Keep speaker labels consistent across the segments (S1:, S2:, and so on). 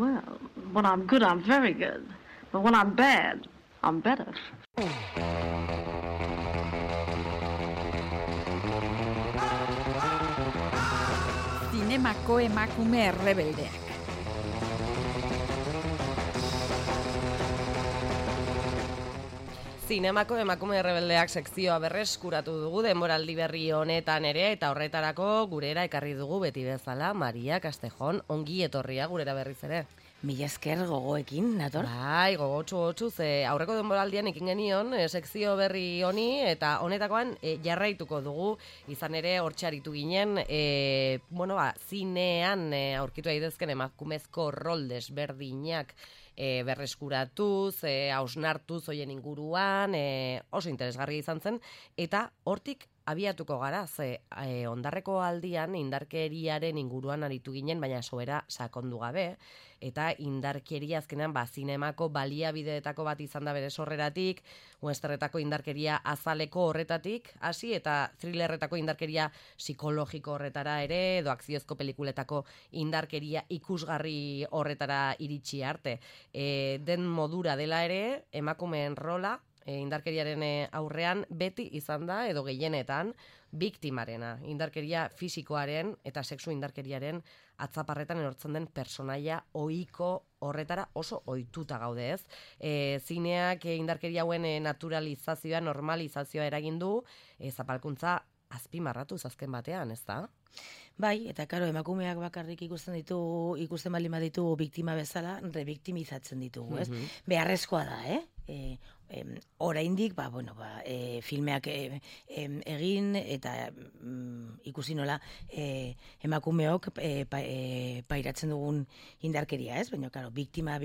S1: well. When I'm good, I'm very good. But when I'm bad, I'm better.
S2: Zinemako emakume errebeldeak.
S3: Zinemako emakume errebeldeak sekzioa berreskuratu dugu denboraldi berri honetan ere, eta horretarako gurera ekarri dugu beti bezala Maria Castejon, ongi etorria gurera berriz ere.
S4: Mila esker gogoekin, nator?
S3: Bai, gogotsu, ze aurreko denboraldian ekin genion sekzio berri honi, eta honetakoan jarraituko dugu, izan ere hortxaritu ginen, zinean aurkitu daitezken emakumezko rol desberdinak berreskuratuz, hausnartuz hoien inguruan, oso interesgarria izan zen, eta hortik abiatuko gara, ze ondarreko aldian indarkeriaren inguruan aritu ginen, baina sobera sakondu gabe, eta indarkeria azkenean zinemako baliabideetako bat izan da bere sorreratik, westernetako indarkeria azaleko horretatik, hasi eta thrillerretako indarkeria psikologiko horretara ere, edo akziozko pelikuletako indarkeria ikusgarri horretara iritsi arte. Den modura dela ere, emakumeen rola, indarkeriaren aurrean beti izan da, edo gehienetan, biktimarena, indarkeria fisikoaren eta sexu indarkeriaren atzaparretan erortzen den personaia ohiko horretara oso ohituta gaude, ez? Zineak indarkeria hauen naturalizazioa, normalizazioa eragin du, zapalkuntza azpimarratuz azken batean, ez da?
S4: Bai, eta karo, emakumeak bakarrik ikusten baldin baditu biktima bezala, rebiktimizatzen ditugu, ez? Beharrezkoa da, oraindik, filmeak egin eta ikusi nola emakumeok pairatzen dugun indarkeria, ez? Baina, karo, biktima,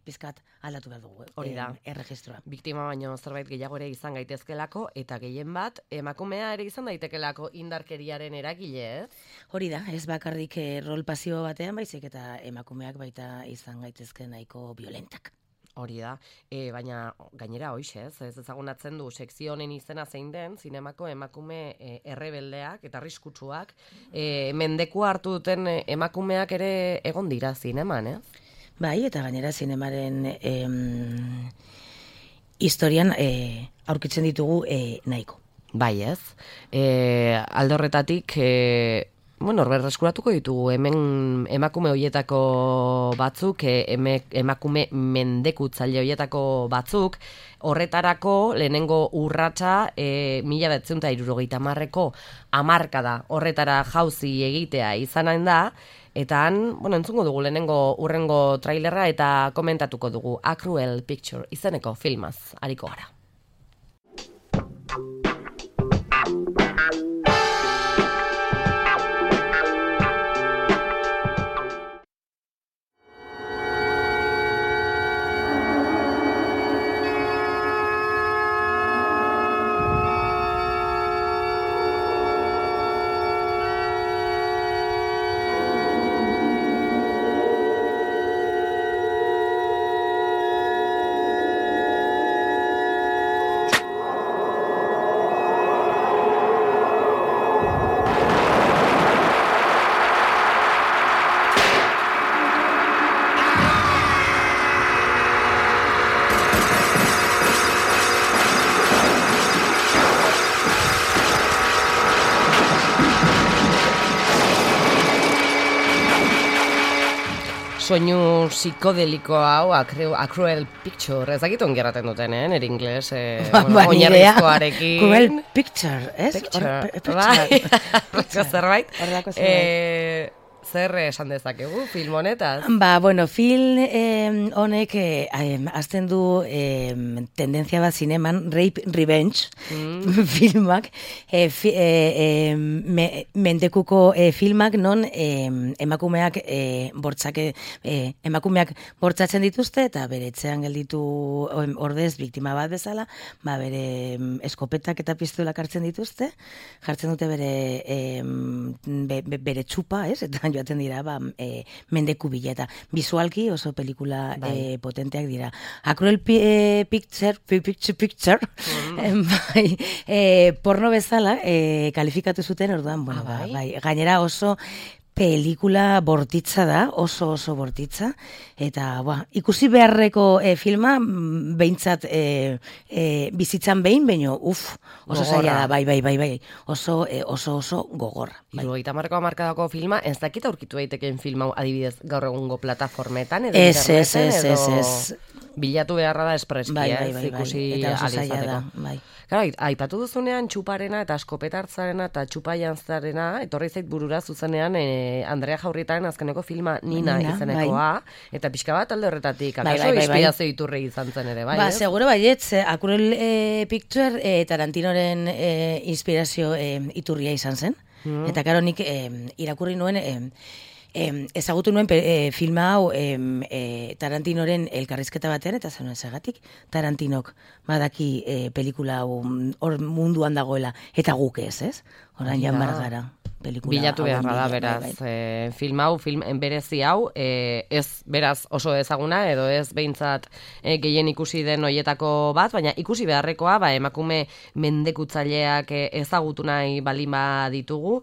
S4: pizkat aldatu behar dugu,
S3: hori da,
S4: erregistroa.
S3: Biktima baino zerbait gehiago ere izan gaitezkelako, eta gehien bat, emakumea ere izan daitekelako indarkeriaren eragile, ez?
S4: Hori da, ez bakarrik rol pasibo batean, baizik eta emakumeak baita izan gaitezke nahiko violentak.
S3: Hori da, baina gainera hoxe, ez ezagunatzen du sekzio honen izena zein den, zinemako emakume errebeldeak eta arriskutsuak, mendekua hartu duten emakumeak ere egon dira zineman, ez?
S4: Bai, eta gainera zinemaren historian aurkitzen ditugu nahiko.
S3: Bai, ez? Alde horretatik, berreskuratuko ditugu hemen emakume hoietako batzuk, emakume mendekutzaile hoietako batzuk, horretarako lehenengo urratsa 1970ko hamarkada horretara jauzi egitea izanen da, eta han, entzungo dugu lehenengo urrengo trailerra eta komentatuko dugu A Cruel Picture izeneko filmaz ariko gara. Soinu psikodeliko hau, A Cruel Picture, ez dakit ongi erraten duten, nire ingles, oinarrizkoarekin.
S4: Cruel Picture, ez?
S3: Horrelako zerbait. Zer esan dezakegu film honetaz?
S4: Film honek azten du tendentzia bat zineman, Rape Revenge filmak, mendekuko filmak non emakumeak bortzatzen dituzte eta bere etxean gelditu ordez biktima bat bezala, bere eskopetak eta pistolak hartzen dituzte, jartzen dute bere txupa, ez? Eta joaten dira, mendeku bileta. Visualki oso pelikula potenteak dira. A Cruel Picture, porno bezala, kalifikatu zuten, orduan, gainera oso Pelikula bortitza da, oso bortitza, eta ikusi beharreko filma, behintzat bizitzan behin, baino, oso zaila da, bai, oso gogorra. Bai.
S3: 70ko hamarkadako filma, ez dakit aurkitu daitekeen film hau adibidez gaur egungo plataformetan, edo
S4: Ez.
S3: Bilatu beharra da espreski, ikusi
S4: eta oso zaila
S3: alizateko.
S4: da, bai.
S3: Claro, aipatu duzunean txuparena eta eskopetartzarena eta txupajantzarena, etorri zait burura zuzenean Andrea Jaurrietaren azkeneko filma Nina izenekoa, eta pixka bat alde horretatik, akaso inspirazio iturri izan zen ere, bai?
S4: Seguro baietz, Akurel Picture Tarantinoren inspirazio iturria izan zen, eta karo nik irakurri nuen, ezagutu nuen filma hau Tarantinoren elkarrizketa batean, eta zenuen segatik Tarantinok badaki pelikula hau hor munduan dagoela, eta guk ez? Orain jamar gara.
S3: Bilatu beharra da, beraz. Film hau, berezi hau, ez beraz oso ezaguna, edo ez behintzat gehien ikusi den hoietako bat, baina ikusi beharrekoa, emakume mendekutzaileak ezagutu nahi balin baditugu,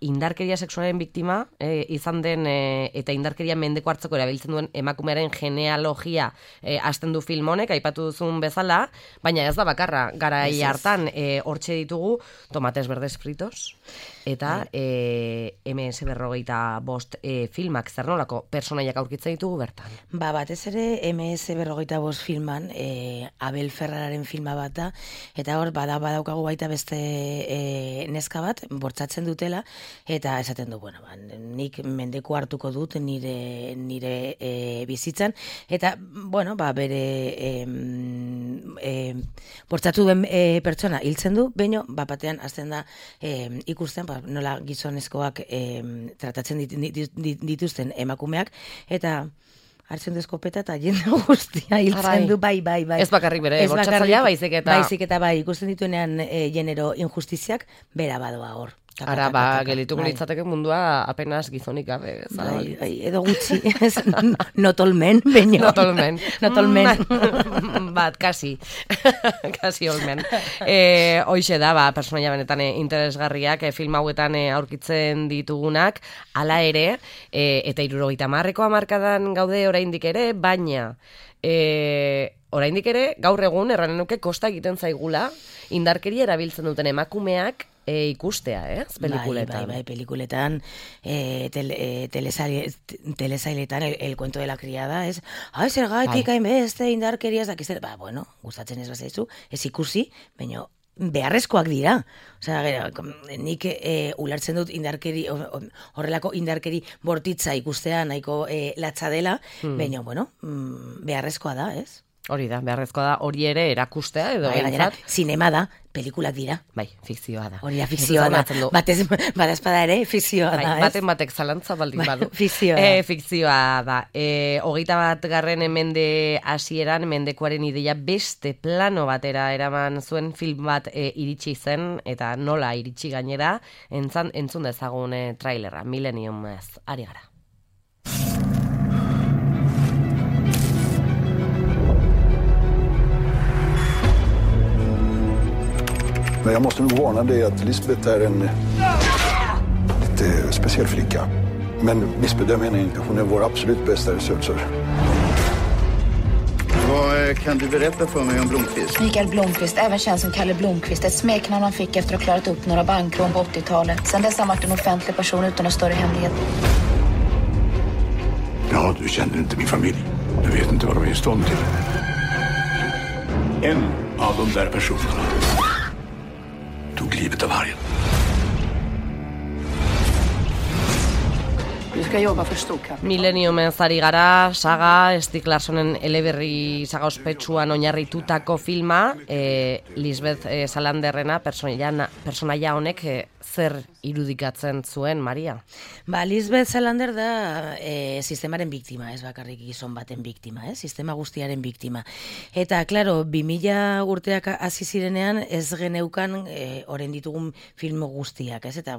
S3: indarkeria sexualen biktima izan den, eta indarkeria mendeko hartzeko erabiltzen duen emakumearen genealogia hasten du film honek, aipatu duzun bezala, baina ez da bakarra, garai hartan hortxe ditugu tomates verdes fritos, eta MS-45 filmak zer nolako personaiak aurkitzen ditugu bertan.
S4: Batez ere MS-45 filman Abel Ferrararen filma bat da, eta hor badaukagu baita beste neska bat, bortzatzen dutela, eta esaten du, nik mendeku hartuko dut nire bizitzan, eta, bere bortzatu den pertsona hiltzen du, baino, batean azten da ikusten, nola gizonezkoak tratatzen dituzten emakumeak, eta hartzen du eskopeta eta jende guztia hiltzen du, bai.
S3: Ez bakarrik bere, bortzatzailea baizik
S4: eta ikusten dituenean genero injustiziak, bera badoa hor.
S3: Ara, gelituko litzateke mundua apenas gizonik gabe.
S4: Edo gutxi, not all men, baino.
S3: Not all men.
S4: Not all men.
S3: Bat, kasi all men. Hoixe da, personaia benetan interesgarriak, film hauetan aurkitzen ditugunak, hala ere, eta 70ko hamarkadan gaude oraindik ere, baina oraindik ere, gaur egun, erranen nuke, kosta egiten zaigula, indarkeria erabiltzen duten emakumeak ikustea, pelikuletan.
S4: Bai, pelikuletan, telesailetan, el cuento de la criada, zer gaitik hainbeste indarkeria, ez dakiz, gustatzen ez bazaizu, ez ikusi, baina beharrezkoak dira. Osea, nik ulertzen dut indarkeri, horrelako indarkeri bortitza ikustea nahiko latza dela, baina, beharrezkoa da, ez?
S3: Hori da, beharrezkoa da, hori ere erakustea, edo
S4: behintzat. Zinema da, pelikulak dira.
S3: Bai, fikzioa da.
S4: Hori da, fikzioa da. Badazpada ere, fikzioa da, ez?
S3: Batek zalantza baldin badu.
S4: Fikzioa da.
S3: Fikzioa da. 21. Mende hasieran, mendekuaren ideia beste plano batera eraman zuen film bat iritsi zen, eta nola iritsi gainera, entzun dezagun trailerra, Millennium ez, ari gara.
S5: Men jag måste nog varna dig att Lisbeth är en lite speciell flicka. Men missbedöm henne inte. Hon är vår absolut bästa researcher. Vad kan du berätta för mig om Blomqvist?
S6: Mikael Blomqvist, även känd som Kalle Blomqvist. Ett smeknamn han fick efter att ha klarat upp några bankrån på 80-talet. Sen dess har han varit en offentlig person utan någon större hemlighet.
S5: Ja, du känner inte min familj. Du vet inte vad de är i stånd till. En av de där personerna tog livet av vargen.
S6: Du ska jobba för Storkap.
S3: Millenniumen zari gara, saga, Stieg Larssonen eleberri saga ospetsuan oinarritutako filma, Lisbeth Salanderrena, personaia honek zer irudikatzen zuen, Maria?
S4: Lisbeth Salander da sistemaren biktima, ez bakarrik gizon baten biktima, sistema guztiaren biktima. Eta, klaro, 2000 urteak hasi zirenean ez geneukan orain ditugun film guztiak, ez? Eta,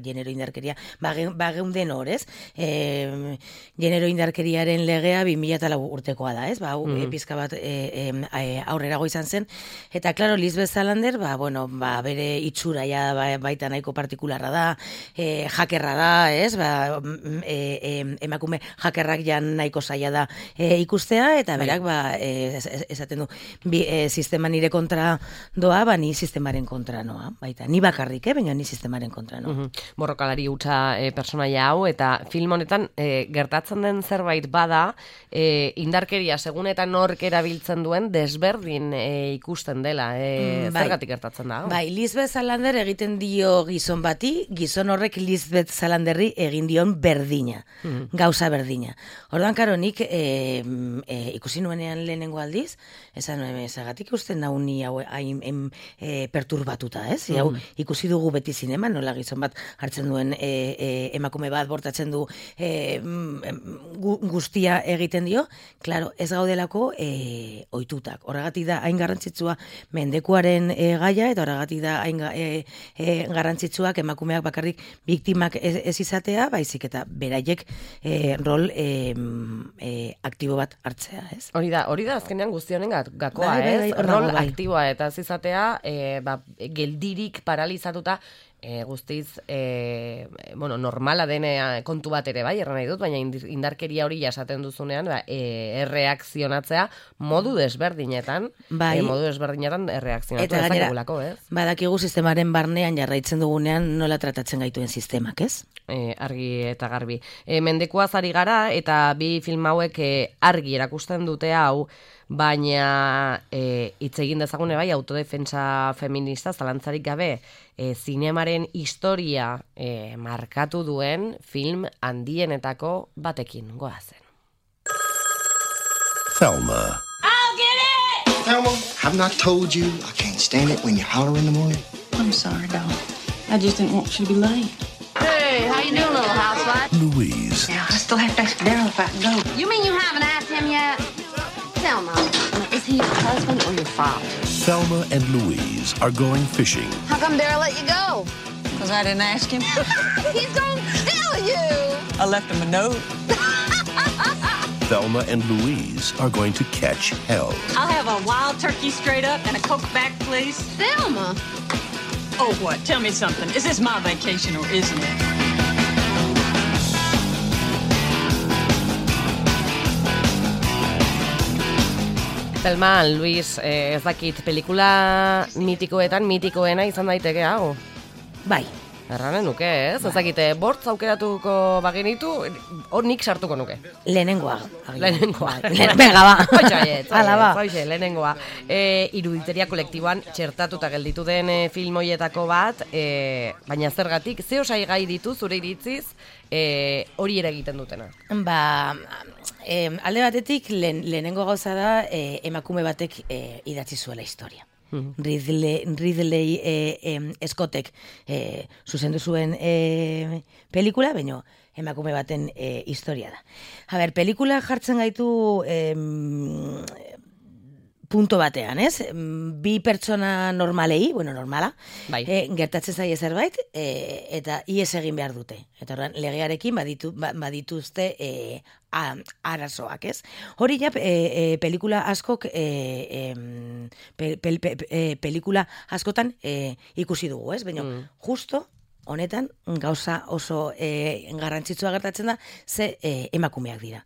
S4: genero indarkeria, bageunden hor, ez? Genero indarkeriaren legea 2004 urtekoa da, ez? Pizka bat aurrerago izan zen. Eta, klaro, Lisbeth Salander, bere itxura baita nahiko nahiko partikularra da, jakerra da, ez? Emakume jakerrak jan nahiko zaila da ikustea, eta berak esaten du, sistema nire kontra doa, ni sistemaren kontra noa, baita, ni bakarrik, baina ni sistemaren kontra noa.
S3: Borrokalari hutsa personaia hau, eta film honetan gertatzen den zerbait bada, indarkeria segun eta nork erabiltzen duen desberdin ikusten dela. Zergatik gertatzen da?
S4: Bai, Lisbeth Salander egiten dio gizon bati, gizon horrek Lisbeth Salanderri egin dion berdina, gauza berdina. Orduan, karo, nik ikusi nuenean lehenengo aldiz, zagatik ikusten nau ni hau hain perturbatuta, ez? Hau ikusi dugu beti zinema, nola gizon bat hartzen duen emakume bat bortatzen du guztia egiten dio, klaro, ez gaudelako ohitutak. Horregatik da hain garrantzitsua mendekuaren gaia, eta horregatik da hain garrantzitsuak emakumeak bakarrik biktimak ez izatea, baizik eta beraiek rol aktibo bat hartzea, ez?
S3: Hori da azkenean guztionen gakoa, ez? Rol aktiboa eta ez izatea, geldirik paralizatuta, guztiz normala dene kontu bat ere bai, erran nahi dut, baina indarkeria hori jasaten duzunean erreakzionatzea modu desberdinetan, modu desberdinetan erreakzionatu ezakegulako, ez?
S4: Badakigu sistemaren barnean jarraitzen dugunean nola tratatzen gaituen sistemak, ez?
S3: Argi eta garbi. Mendekuaz ari gara, eta bi film hauek argi erakusten dute hau, baina hitz egin dezagune bai autodefentsa feminista zalantzarik gabe zinemaren historia markatu duen film handienetako batekin goazen.
S7: Thelma.
S8: I'll get it!
S9: Thelma, have not told you I can't stand it when you holler in the morning?
S8: I'm sorry, doll. I just didn't want you to be late.
S1: Hey, how you doing, little housewife?
S7: Louise.
S8: Now, I still have to ask Daryl if I can go.
S1: You mean you haven't asked him yet? Thelma, is he your husband or your father?
S7: Thelma and Louise are going fishing.
S1: How come Daryl let you go?
S8: Because I didn't ask him.
S1: He's gonna kill you!
S8: I left him a note.
S7: Thelma and Louise are going to catch hell.
S10: I'll have a wild turkey straight up and a Coke back, please.
S1: Thelma!
S10: Oh, what? Tell me something. Is this my vacation or isn't it?
S3: Thelma, Luis, ez dakit, pelikula mitikoena izan daiteke hau?
S4: Bai.
S3: Erranen nuke, ez? Ez dakit, bortz aukeratuko bagenitu, hor nik sartuko nuke.
S4: Lehenengoa.
S3: Venga, ba. Lehenengoa. Iruditeria kolektiboan txertatuta gelditu den film hoietako bat, baina zergatik, ze osai gai ditu zure iritziz, hori ere egiten dutena?
S4: Alde batetik, lehenengo gauza da, emakume batek idatzi zuela historia. Ridley Scottek zuzendu zuen pelikula, baina emakume baten historia da. A ber, pelikula jartzen gaitu punto batean, ez? Bi pertsona normalei, normala, gertatzen zaie zerbait, eta ies egin behar dute. Eta horren, legearekin badituzte arazoak, ez? Hori ja, pelikula askok, pelikula askotan ikusi dugu, ez? Baina, justo, honetan, gauza oso garrantzitsua gertatzen da, ze emakumeak dira.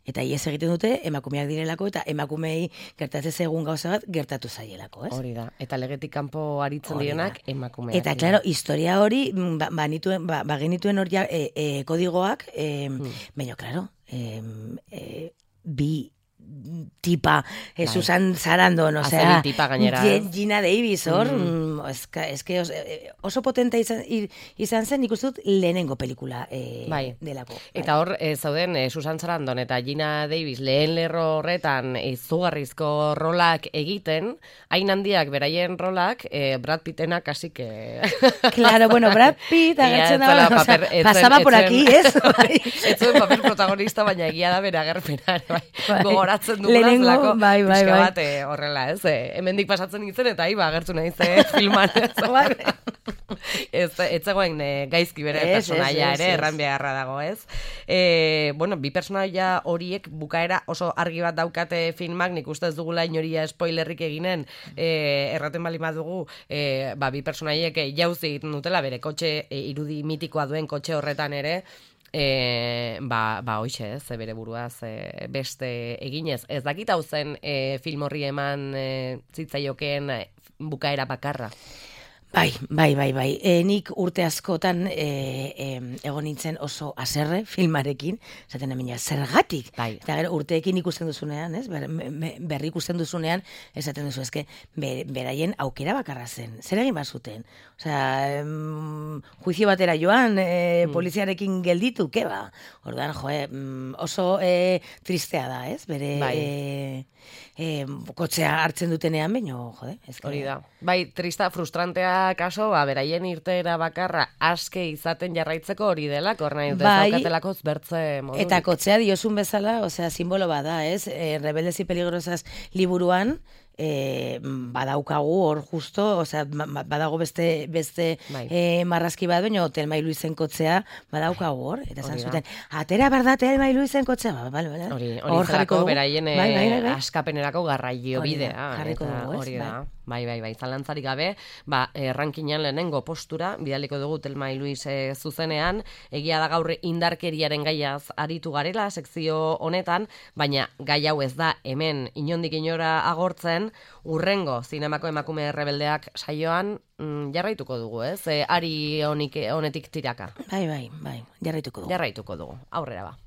S4: Eta ies egiten dute, emakumeak direlako, eta emakumei gertatzen zegun gauza bat gertatu zaielako, ez?
S3: Hori da, eta legetik kanpo aritzen direnak emakumeak.
S4: Eta, klaro, historia hori, bagenituen hori kodigoak, baina, klaro, bi tipa, Susan Sarandon, osea, Gina Davis, hor, oso potente izan zen, ikusten dut lehenengo pelikula delako.
S3: Eta hor, zauden, Susan Sarandon eta Gina Davis lehen lerro horretan izugarrizko rolak egiten, hain handiak beraien rolak, Brad Pittena kasi que...
S4: Claro, bueno, Brad Pitt agertzen da, pasaba por aquí, ez?
S3: Ez zuen paper protagonista, baina egia da bere agerpena, gogoratzen dugulazlako, pixka bat horrela, ez? Hemendik pasatzen nintzen eta agertu nahi ze filman, ez? Ez zegoen gaizki bere personaia ere, erran beharra dago, ez? Bueno, bi personaia horiek bukaera oso argi bat daukate filmak, nik uste ez dugula inoria spoilerrik eginen, erraten bali badugu, bi personaiek jauzi egiten dutela, bere kotxe, irudi mitikoa duen kotxe horretan ere, hoixe, ez, bere buruaz beste eginez. Ez dakit hau zen film horri eman zitzaiokeen bukaera bakarra.
S4: Bai. Nik urte askotan egon nintzen oso haserre filmarekin, esaten emina, zergatik?
S3: Bai.
S4: Eta gero urteekin ikusten duzunean, ez? Berri ikusten duzunean, esaten duzu, eske, beraien aukera bakarra zen. Zer egin bazuten? Osea, juizio batera joan, poliziarekin gelditu, keba? Orduan, oso tristea da, ez? Bere kotxea hartzen dutenean, baino,
S3: hori da. Bai, trista, frustrantea kaso, beraien irteera bakarra aske izaten jarraitzeko hori dela, nahi dut zaukatelako zbertze modu.
S4: Eta kotxea diozun bezala, osea, simbolo bada, ez? Rebeldes y peligrosas liburuan, badaukagu hor justo, osea, badago beste marrazki bat, baina Telma y Luisen kotzea badaukagu hor, eta zan zuten, atera berda Telma y Luisen kotzea,
S3: hori zelako beraien askapenerako garraio bidea, hori da. Bai, zalantzarik gabe, rankinan lehenengo postura, bidaliko dugu Telma y Luis zuzenean, egia da gaur indarkeriaren gaiaz aritu garela sekzio honetan, baina gai hau ez da hemen inondik inora agortzen, urrengo zinemako emakume rebeldeak saioan jarraituko dugu, ez? Ari honetik tiraka.
S4: Bai, jarraituko dugu.
S3: Jarraituko dugu, aurrera ba.